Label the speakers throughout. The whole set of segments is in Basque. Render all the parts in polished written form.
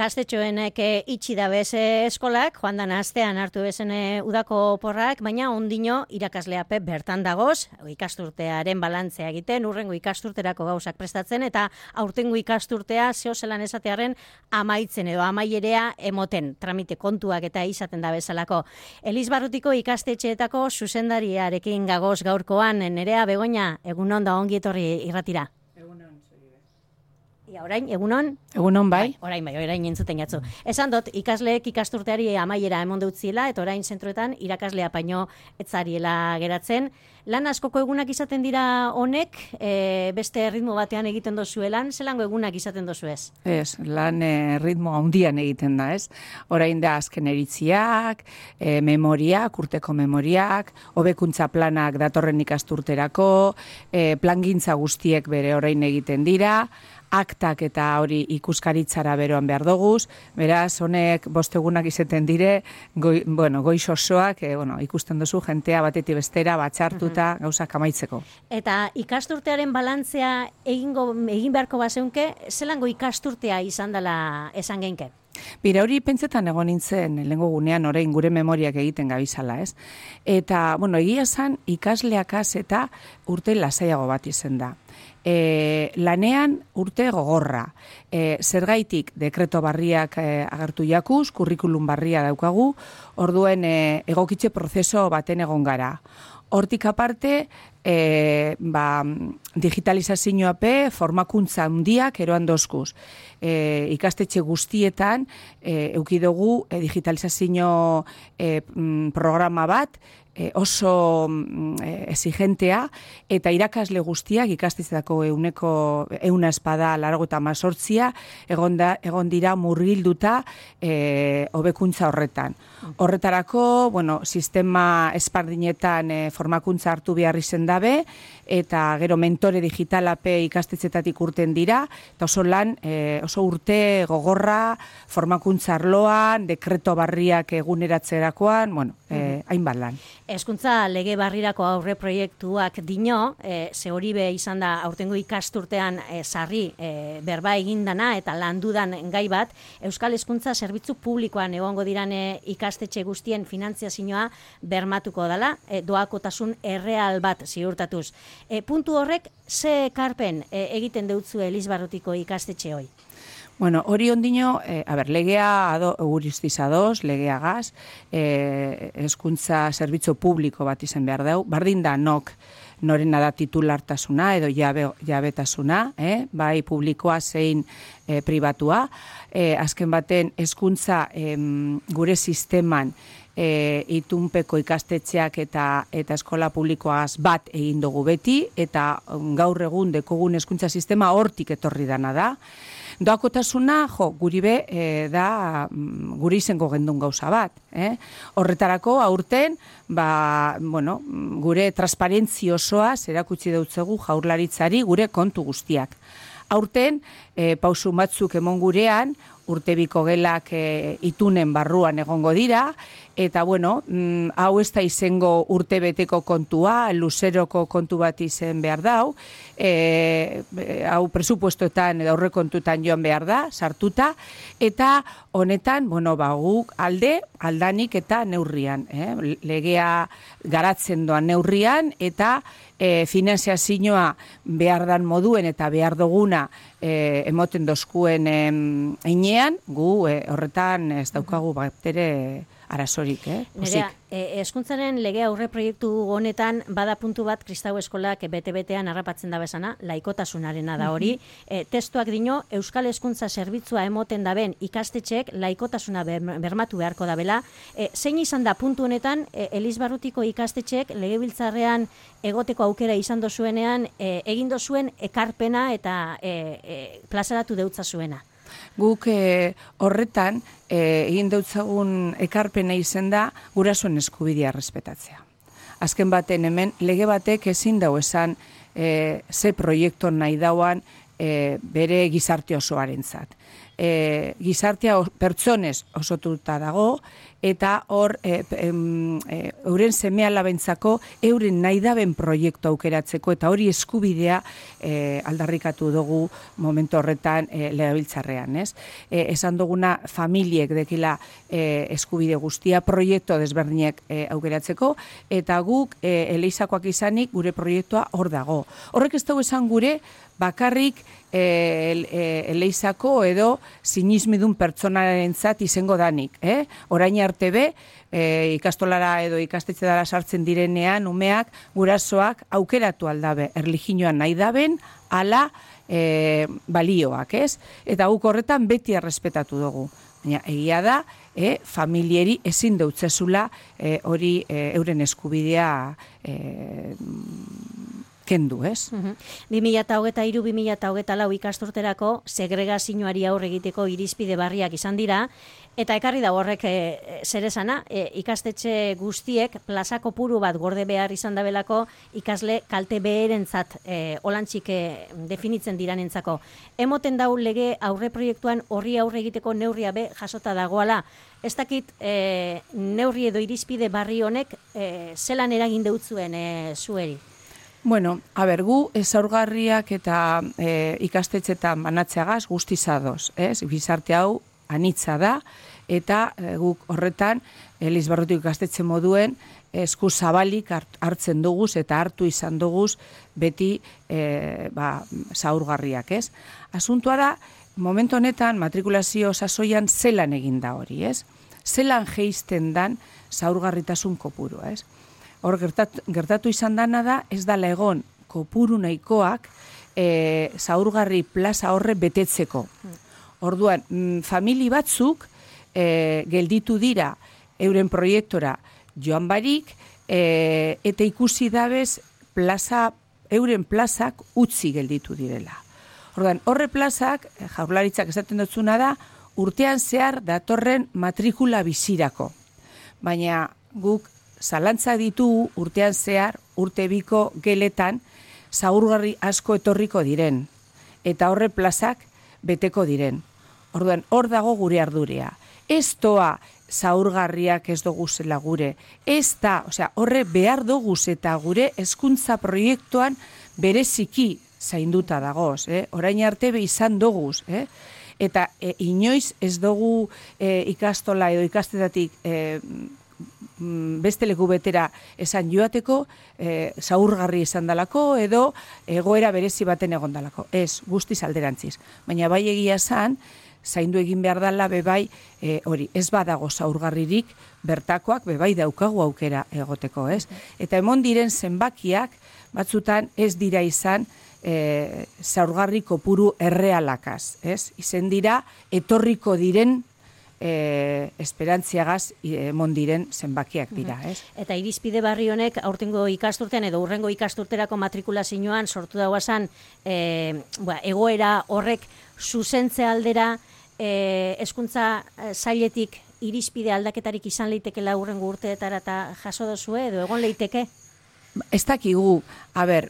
Speaker 1: Gaztetxoenek itxi da bez eskolak, joan dan astean hartu bezen udako oporrak, baina ondino irakasleape bertan dagoz, ikasturtearen balantzea egiten, urrengo ikasturterako gauzak prestatzen, eta aurtengo ikasturtea zehozelan esatearen amaitzen edo amaierea emoten, tramite kontuak eta izaten da bezalako. Elizbarrutiko ikastetxeetako zuzendariarekin gagoz gaurkoan, Nerea Begoña, egunon da ongi etorri irratira. Orain, egunon?
Speaker 2: Egunon, bai.
Speaker 1: Orain entzuten jatzu. Esan dut, ikasleek ikasturteari amaiera emon deutziela, eta orain zentroetan irakaslea paino etzariela geratzen. Lan askoko egunak izaten dira honek, beste ritmo batean egiten dozuelan, zelango egunak izaten dozu ez?
Speaker 2: Ez, lan ritmo handian egiten da, ez? Orain da azken eritziak, memoriak, urteko memoriak, hobekuntza planak datorren ikasturterako, plangintza guztiek bere orain egiten dira, aktak eta hori ikuskaritzara beroan behar doguz, beraz, honek bostegunak izaten dire, goiz osoak, ikusten duzu jentea batetik bestera, batxartuta, gauzak amaitzeko.
Speaker 1: Eta ikasturtearen balantzea egin beharko bazeunke, zelango ikasturtea izan dela esan geinke?
Speaker 2: Bira, hori pentsetan egon nintzen lehengo gunean orain gure memoriak egiten gabizala, ez? Eta, egia esan ikasleakaz eta urte lasaiago bat izen da. Lanean urte gogorra. Zergaitik dekreto barriak agertu jakuz, kurrikulum barria daukagu, orduen egokitze prozeso baten egon gara. Hortik aparte, digitalizazioape formakuntza handiak eroan dozkuz. Ikastetxe guztietan eukidugu digitalizazio programa bat, oso exigentea, eta irakasle guztiak ikastetxeetako euna espada largo eta mazortzia egon dira murgilduta hobekuntza horretan. Horretarako, sistema espardinetan formakuntza hartu behar izen dabe, eta gero mentore digitalape ikastetxeetatik urten dira, eta oso urte gogorra, formakuntza arloan, dekreto barriak eguneratzerakoan, hainbat lan.
Speaker 1: Hezkuntza lege barrirako aurre proiektuak dino, ze hori be izan da aurtengo ikasturtean sarri berba egindana eta landudan gai bat, Euskal Hezkuntza Zerbitzu Publikoan egongo diran ikastetxe guztien finantziazioa bermatuko dela, doakotasun erreal bat ziurtatuz. Puntu horrek, ze ekarpen egiten deutzu Elizbarrutiko ikastetxe hoi?
Speaker 2: Hori ondino, legea guristiz ados, legeagaz, hezkuntza zerbitzu publiko bat izen behar dau, bardin da norena da titulartasuna edo jabetasuna, bai publikoa zein pribatua, azken baten hezkuntza gure sisteman itunpeko ikastetxeak eta eskola publikoaz bat egin dugu beti, eta gaur egun dekogun hezkuntza sistema hortik etorri dana da. Doakotasuna, guri da guri izango gendun gauza bat. Horretarako, aurten, gure transparentzi osoa erakutsi deutzegu jaurlaritzari gure kontu guztiak. Aurten, pausu batzuk emon gurean, urtebiko gelak itunen barruan egongo dira, eta hau ez da izango urtebeteko kontua, luzeroko kontu bat izen behar dau, hau presupuestoetan edo aurrekontuetan joan behar da, sartuta, eta honetan, guk aldanik eta neurrian, legea garatzen doan neurrian, eta finanziazioa behar dan moduen eta behar duguna emoten dozkuen einean, gu horretan ez daukagu baptere arazorik,
Speaker 1: Nerea, hezkuntzaren lege aurre proiektu honetan bada puntu bat kristau eskolak bete-betean harrapatzen da bezana, laikotasunarena da hori. Testuak dino, Euskal Hezkuntza Zerbitzua emoten daben ikastetxeek laikotasuna bermatu beharko dabela. Zein izan da puntu honetan, Elizbarrutiko ikastetxeek legebiltzarrean egoteko aukera izan dozuenean, egin dozuen ekarpena eta plazaratu deutza zuena?
Speaker 2: Guk horretan egin deutzagun ekarpena izen da gurasoen eskubidea respetatzea. Azken baten hemen lege batek ezin dau esan ze proiektu nahi dauan bere gizarte osoarentzat. gizartea pertsonez osotuta dago, eta hor euren seme-alabentzako euren nahi daben proiektu aukeratzeko, eta hori eskubidea aldarrikatu dugu momentu horretan legebiltzarrean, ez? Esan duguna familiek dekila eskubide guztia proiektu desberdinek aukeratzeko, eta guk eleizakoak izanik gure proiektua hor dago. Horrek ez dugu esan gure bakarrik eleizako edo sinismidun pertsonarentzat izango danik. Orain arte be, ikastolara edo ikastetxetara sartzen direnean, umeak, gurasoak aukeratu aldabe, erlijinoan nahi daben, ala balioak, ez? Eta guk horretan beti errespetatu dugu. Baina egia da, familieri ezin deutzezula hori euren eskubidea kendu, ez?
Speaker 1: 2023-2024 ikasturterako segregazioari aurre egiteko irizpide berriak izan dira, eta ekarri da horrek zer esana, ikastetxe guztiek plaza kopuru bat gorde behar izan dabelako ikasle kalte beherentzat olantxik definitzen diranentzako. Emoten dau lege aurre proiektuan horri aurre egiteko neurria be jasota dagoala. Ez dakit neurri edo irizpide berri honek zelan eragin deutzuen zueri?
Speaker 2: Bueno, gu ezaugarriak eta ikastetxetan banatzeagaz guztizadoz, ez? Gizarte hau anitza da, eta guk horretan Elizbarrutik ikastetxe moduen esku zabalik hartzen duguz eta hartu izan duguz beti zaurgarriak, ez? Asuntua da, momentu honetan matrikulazio sasoian zelan egin da hori, ez? Zelan jeisten dan zaurgarritasun kopuru, ez? Hor gertatu izan dana da, ez dala egon kopuru nahikoak zaurgarri plaza horre betetzeko. Orduan, famili batzuk gelditu dira euren proiektora joan barik, eta ikusi dabez euren plazak utzi gelditu direla. Orduan, horre plazak, Jaurlaritzak esaten dutzuna da, urtean zehar datorren matrikula bizirako. Baina guk zalantza ditu urtean zehar, urte biko geletan, zaurgarri asko etorriko diren, eta horre plazak beteko diren. Orduan, hor dago gure ardurea. Ez toa zaurgarriak ez dugu zela gure. Ez da, horre behar dugu eta gure hezkuntza proiektuan bereziki zainduta dagoz. Orain arte be izan dugu. Eta inoiz ez dugu ikastola edo ikastetatik beste leku betera esan joateko, zaurgarri esan dalako edo egoera berezi baten egon dalako. Ez, guztiz alderantziz. Baina bai egia esan, zaindu egin behar dela bebai hori, ez badago zaurgarririk bertakoak bebai daukagu aukera egoteko, ez? Eta emon diren zenbakiak batzutan ez dira izan zaurgarri kopuru errealakaz, ez? Izen dira etorriko diren esperantziagaz mondiren zenbakiak dira, ez?
Speaker 1: Eta irizpide berri honek aurtengo ikasturtean edo urrengo ikasturterako matrikulazioan sortu dauazan egoera horrek zuzentze aldera hezkuntza sailetik irizpide aldaketarik izan leitekela urrengo urteetara eta jaso dozue edo egon leiteke?
Speaker 2: Ez dakigu,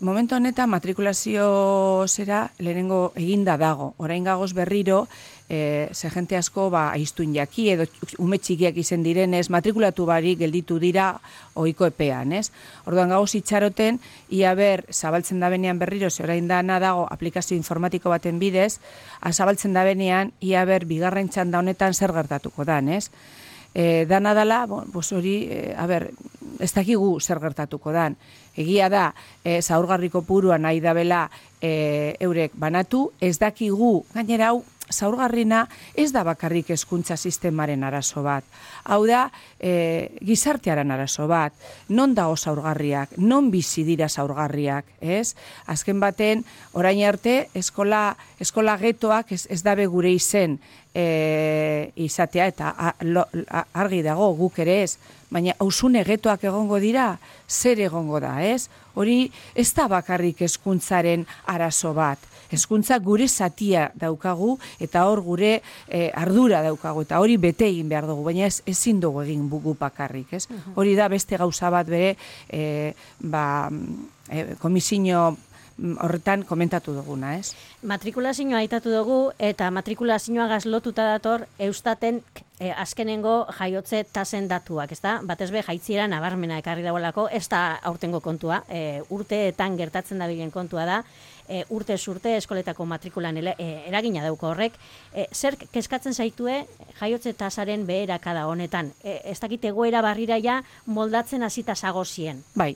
Speaker 2: momentu honetan matrikulazio zera lehenengo eginda dago. Orain gagoz berriro, ze jente asko aiztun jaki edo ume txikiak izen direnez, matrikulatu barik gelditu dira ohiko epean, ez? Orduan gagoz itxaroten, ia zabaltzen da benean berriro, ze orain dana dago aplikazio informatiko baten bidez, zabaltzen da benean, ia bigarren txanda honetan zer gertatuko dan, ez? Dana dala, hori, ez dakigu zer gertatuko dan. Egia da, zaurgarriko purua nahi dabela eurek banatu, ez dakigu, gainera hau, zaurgarrina ez da bakarrik hezkuntza sistemaren arazo bat. Hau da, gizartearen arazo bat. Non dago zaurgarriak, non bizi dira zaurgarriak, ez? Azken baten, orain arte, eskola getoak ez dabe gure izen izatea, eta argi dago guk ere ez, baina hausune getoak egongo dira, zer egongo da, ez? Hori ez da bakarrik hezkuntzaren arazo bat. Hezkuntza gure zatia daukagu eta hor gure ardura daukagu eta hori bete egin behar dugu, baina ezin dugu egin bugu bakarrik, ez? Hori da beste gauza bat bere komisio horretan komentatu duguna, ez?
Speaker 1: Matrikulazioa aitatu dugu, eta matrikulazioa gazlotuta dator Eustaten azkenengo jaiotze tasen datuak, ezta? Batez be jaitziera nabarmena ekarri dagoelako, ez da aurtengo kontua, urteetan gertatzen dabilen kontua da, urtez urte eskoletako matrikulan eragina dauko horrek. Zer kezkatzen zaitue jaiotze tasaren beherakada honetan? Ez dakit egoera barrira ja moldatzen hasita zagozien.
Speaker 2: Bai,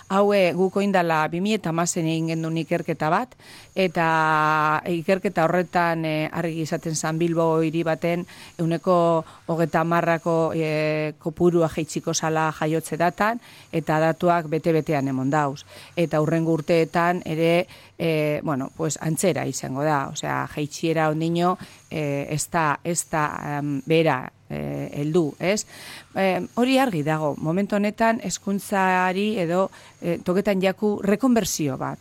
Speaker 2: hau guk oindala 2010 egin gendun ikerketa bat, eta ikerketa horretan argi izaten zan Bilbo hiri baten 30%ko kopurua jaitsiko zala jaiotze datan, eta datuak bete-betean emon dauz. Eta hurrengo urteetan ere antzera izango da, osea, jaitsiera ondino ez da bera heldu, ez? Hori argi dago, momentu honetan hezkuntzari edo toketan jaku rekonbertsio bat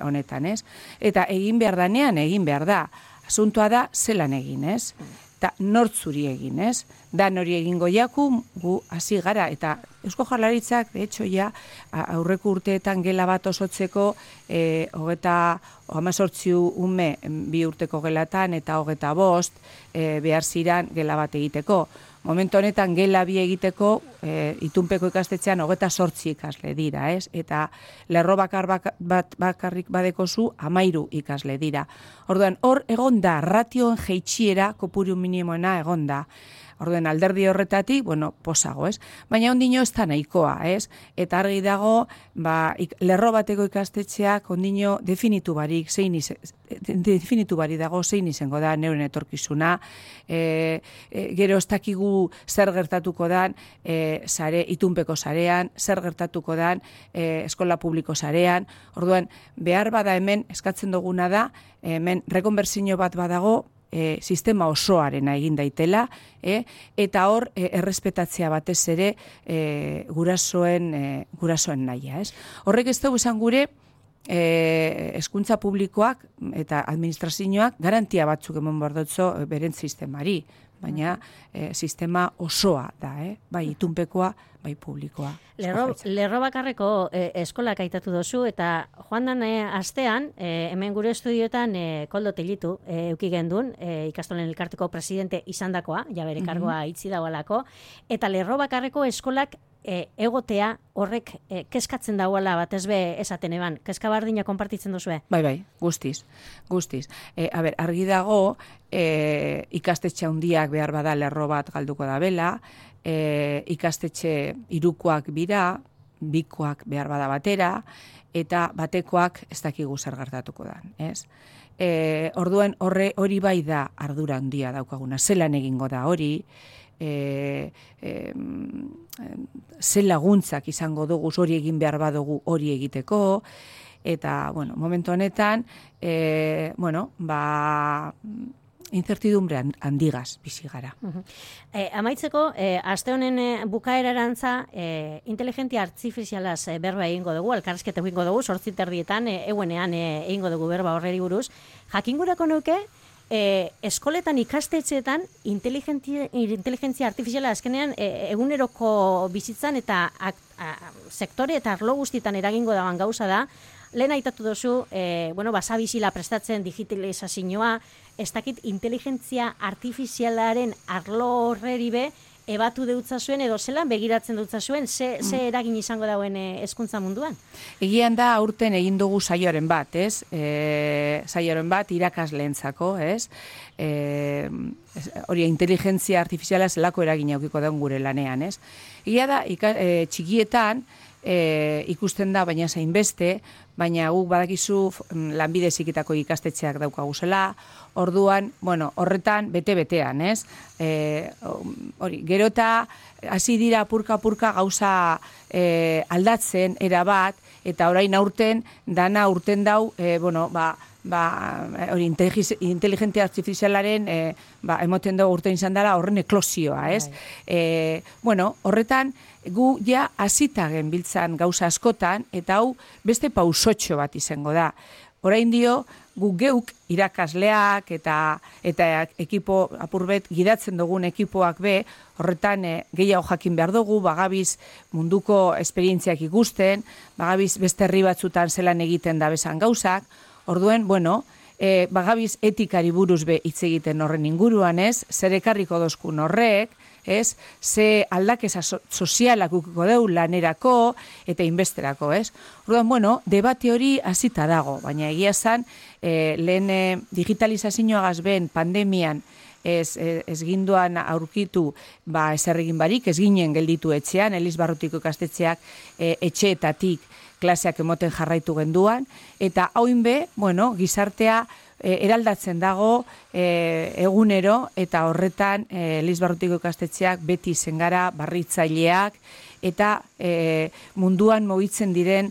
Speaker 2: honetan, ez? Eta egin behar danean, egin behar da. Asuntoa da, zelan egin, ez? Eta nortzuri egin, ez? Dan hori egingo jaku, gu hasi gara, eta Eusko Jaurlaritzak, de hecho, ja, aurreko urteetan gela bat osotzeko, 18 ume 2 urteko gelatan, eta 25 behar ziran gela bat egiteko. Momentu honetan gela bi egiteko, itunpeko ikastetxean 28 ikasle dira, ez? Eta lerro bakarrik badekozu 13 ikasle dira. Orduan, hor egonda, ratioen jeitsiera kopuru minimoena egonda. Orduan, alderdi horretatik, posago, ez? Baina ondino ez da nahikoa, ez? Eta argi dago, lerro bateko ikastetxeak ondino definitu barik dago zein izango da neuren etorkizuna, gero ez dakigu zer gertatuko dan itunpeko sarean, zer gertatuko dan eskola publiko sarean. Orduan, behar bada hemen eskatzen duguna da, hemen rekonbertsio bat badago, sistema osoarena egin daitela, eta hor errespetatzea batez ere gurasoen nahia, ez? Horrek ez dugu esan gure hezkuntza publikoak eta administrazioak garantia batzuk emon bordotzo beren sistemari, baina sistema osoa da, bai itunpekoa, bai publikoa.
Speaker 1: Lerro bakarreko eskolak aitatu dozu, eta joan dan astean, hemen gure estudioetan Koldo Tellitu euki gendun, ikastolen elkarteko presidente izandakoa, ja bere kargoa itzi dagoelako, eta lerro bakarreko eskolak egotea horrek kezkatzen dauela batez be esaten eban. Kezka bardina konpartitzen duzue?
Speaker 2: Bai, guztiz. Argi dago, ikastetxe handiak behar bada lerro bat galduko da bela, ikastetxe hirukoak bira, bikoak behar bada batera, eta batekoak ez dakigu zer gertatuko da, ez? Orduan hori bai da ardura handia daukaguna, zelan egingo da hori, ze laguntzak izango dugu hori egin behar badugu hori egiteko, eta, momentu honetan, incertidumbre handigaz bizi gara.
Speaker 1: Amaitzeko, aste honen bukaerarantza inteligentzia artifizialaz berba egingo dugu, elkarrizketa egingo dugu, 8:30 egunean egingo dugu berba horreri buruz. Jakingurako nuke, eskoletan ikastetxeetan inteligentzia artifiziala azkenean eguneroko bizitzan eta sektore eta arlo guztietan eragingo dagoen gauza da. Lehen aitatu duzu, basabizila prestatzen digitalizazioa, ez dakit inteligentzia artifizialaren arlo horreri be, ebatu deutzazuen edo zelan begiratzen deutzazuen, ze eragin izango dauen hezkuntza munduan?
Speaker 2: Egian da aurten egin dugu saioaren bat, ez? Saioaren bat irakasleentzako, ez? Hori inteligentzia artifiziala zelako eragin aukiko daun gure lanean, ez? Egia da, txikietan, ikusten da, baina zainbeste, baina guk badakizu lanbide heziketako ikastetxeak daukaguzela, orduan, horretan bete-betean, ez? Gero eta hasi dira apurka gauza aldatzen erabat, eta orain aurten, dana urten dau, inteligentzia artifizialaren emoten dugu urtein izan dela horren eklosioa, ez? Horretan, gu ja hasita genbiltzan gauza askotan, eta hau beste pausotxo bat izango da. Orain dio, guk geuk irakasleak eta ekipo apurbet gidatzen dugun ekipoak be, horretan gehiago jakin behar dugu, bagabiz munduko esperientziak ikusten, bagabiz beste herri batzutan zelan egiten da bezan gauzak, orduen, bueno, bagabiz etikari buruz be hitz egiten horren inguruan, ez? Zer ekarriko dozkun horrek, ez? Ze aldakeza sozialak ukiko deu lanerako eta inbesterako, ez? Orduan, bueno, debate hori hasita dago, baina egia zan, lehen digitalizazioagaz ben pandemian ez ginduan aurkitu ezer egin barik, ez ginen gelditu etxean, Elizbarrutiko ikastetxeak etxeetatik klaseak emoten jarraitu genduan, eta hauin be, bueno, gizartea eraldatzen dago egunero, eta horretan Elizbarrutiko ikastetxeak beti zengara barritzaileak, eta munduan mugitzen diren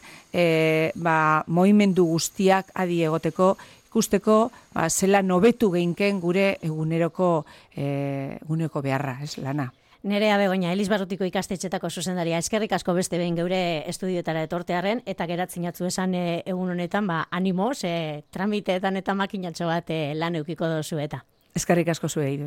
Speaker 2: mogimendu guztiak adi egoteko, ikusteko zela nobetu geinken gure eguneroko beharra, ez lana.
Speaker 1: Nerea Begoña, Elizbarrutiko ikastetxetako zuzendaria, eskerrik asko beste behin geure estudioetara etortearen, eta geratzen jatzu esan egun honetan, animoz, tramiteetan eta makinatxo bat lan eukiko dozu eta.
Speaker 2: Eskerrik asko zuei.